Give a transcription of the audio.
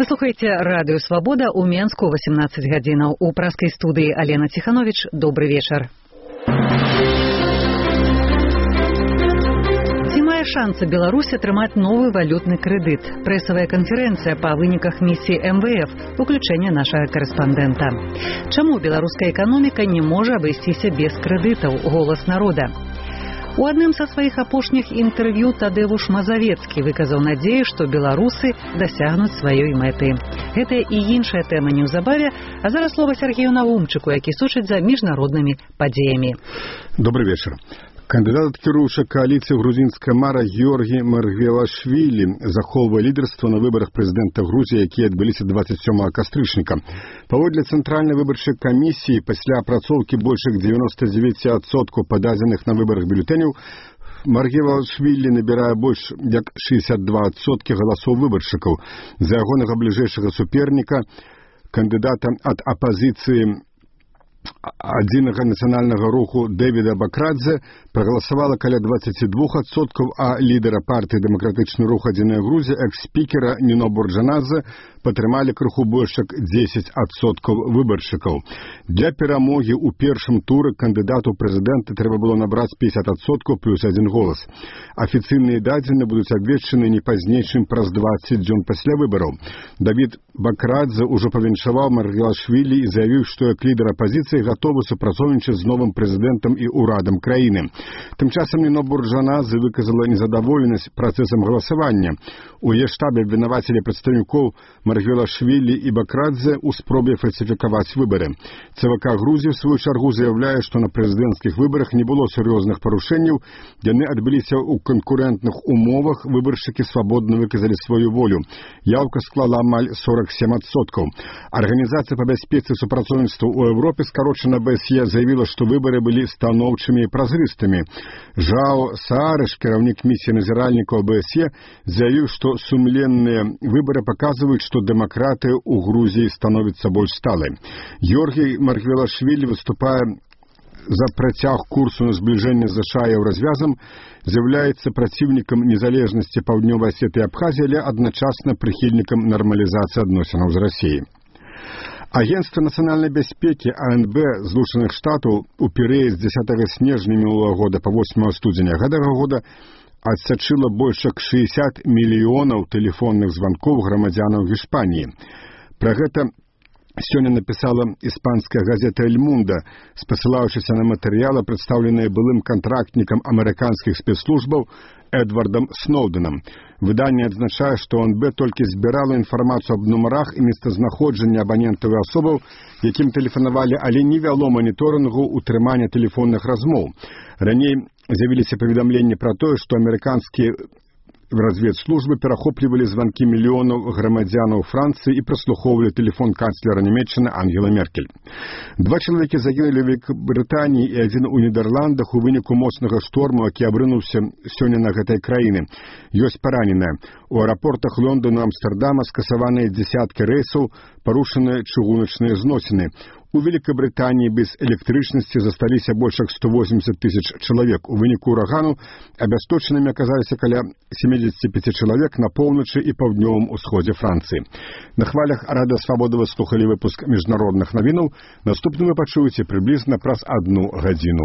Вы слухаеце радыё Свабода ў Менску 18 гадзінаў. У праскай студыі Алена Ціхановіч. Добры вечар. Ці мае шансы Беларусь атрымаць новы валютны крэдыт? Прэсавая канферэнцыя па выніках місіі МВФ, уключэнне нашага корэспандэнта. Чаму беларуская эканоміка не можа абысціся без крэдытаў? Голас народа. У адным са сваіх апошніх інтэрв'ю Тадеуш Мазавецкі выказаў надзею, што беларусы дасягнуць сваёй мэты. Гэтая і іншая тэма неўзабаве, а зараз слова Сергею Наумчыку, які сочыць за міжнароднымі падзеямі. Добрый вечер. Кандидат ад кіруюча кааліцыі грузінская мара Георгій Маргвелашвілі захоўвае лідарства на выбарах прэзідэнта Грузіі, якія адбыліся 27 кастрычніка. Паводле цэнтральнай выбарчай камісіі, пасля апрацоўкі больш як 99% пададзеных на выбарах бюлетэняў, Маргвелашвілі набірае больш як 62% галасоў выбаршчыкаў. За ягонага бліжэйшага суперніка, кандыдата ад апазіцыі адзінага нацыянальнага руху Дэвіда Бакрадзе прагаласавала каля 22%, а лідара партыі «Дэмакратычны рух Адзіная Грузія» экс-спікера Ніно Бурджанадзе падтрымалі крыху больш як 10% выбаршчыкаў. Для перамогі ў першым туры кандыдату прэзідэнта трэба было набраць 50% плюс 1 голас. Афіцыйныя дадзеныя будуць абвешчаны не пазней, чым праз 20 дзён пасля выбараў. Давід Бакрадзе ўжо павіншаваў Маргвелашвілі і заявіў, што як лідар апазіцыі гатовы супрацоўнічаць з новым прэзідэнтам і ўрадам краіны. Тым часам Ніно Бурджанадзе выказала незадаволенасць працэсам галасавання. У яе штабе абвінавацілі прадстаўнікоў Маргвелашвілі і Бакрадзе ў спробе фальсіфікаваць выбары. ЦВК Грузіі, в сваю чаргу, заяўляе, што на прэзідэнцкіх выбарах не было сур'ёзных парушэнняў, яны адбыліся ў канкурэнтных умовах, выбаршчыкі свабодна выказалі сваю волю. Яўка склала амаль 47%. Арганізацыя па бяспецы і супрацоўніцтву ў Еўропе, скарочана БСЕ, заявіла, што выбары былі станоўчымі і празрыстымі. Жао Саарыш, кіраўнік місіі назіральнікаў БСЕ, заявіў, што сумленныя выбары паказваюць, што дэмакратыя ў Грузіі становіцца больш сталай. Георгій Маргвелашвілі выступае за працяг курсу на збліжэнне з ЗША і Еўразвязам, з'яўляецца праціўнікам незалежнасці Паўднёвай Асеты і Абхазіі, але адначасна прыхільнікам нармалізацыі адносінаў з Расіяй. Агенцтва нацыянальнай бяспекі АНБ Злучаных Штатаў у перыяд з 10 снежня мінулага года па 8 студзеня гэтага года адсачыла больш як 60 мільёнаў тэлефонных званкоў грамадзянаў Іспаніі. Пра гэта сёння напісала іспанская газета «Эль Мунда», спасылаючыся на матэрыялы, прадстаўленыя былым кантрактнікам амерыканскіх спецслужбаў Эдвардам Сноўдэнам. Выданне адзначае, што АНБ толькі збірала інфармацыю аб нумарах і месцазнаходжанні абанентаў і асобаў, якім тэлефанавалі, але не вяло маніторынгу утрымання тэлефонных размоў. Раней з'явіліся паведамленні пра тое, што амерыканскія разведслужбы перахоплівалі званкі мільёнаў грамадзянаў Францыі і праслухоўвалі тэлефон канцлера Нямецчыны Ангелы Меркель. 2 чалавекі загінулі ў Вялікабрытаніі і 1 у Нідерландах у выніку моцнага шторму, які абрынуўся сёння на гэтай краіны. Ёсць параненыя. У аэрапортах Лондона і Амстэрдама скасаваныя дзясяткі рэйсаў, парушаныя чыгуначныя зносіны. У Великобритании без электрычнасці засталіся больш як 180 тысяч чалавек. У выніку урагану абясточанымі аказаліся каля 75 чалавек на поўначы і паўднёвым усходзе Францыі. На хвалях Радыё Свабода вы слухалі выпуск міжнародных навінаў. Наступны вы пачуеце прыблізна праз 1 гадзіну.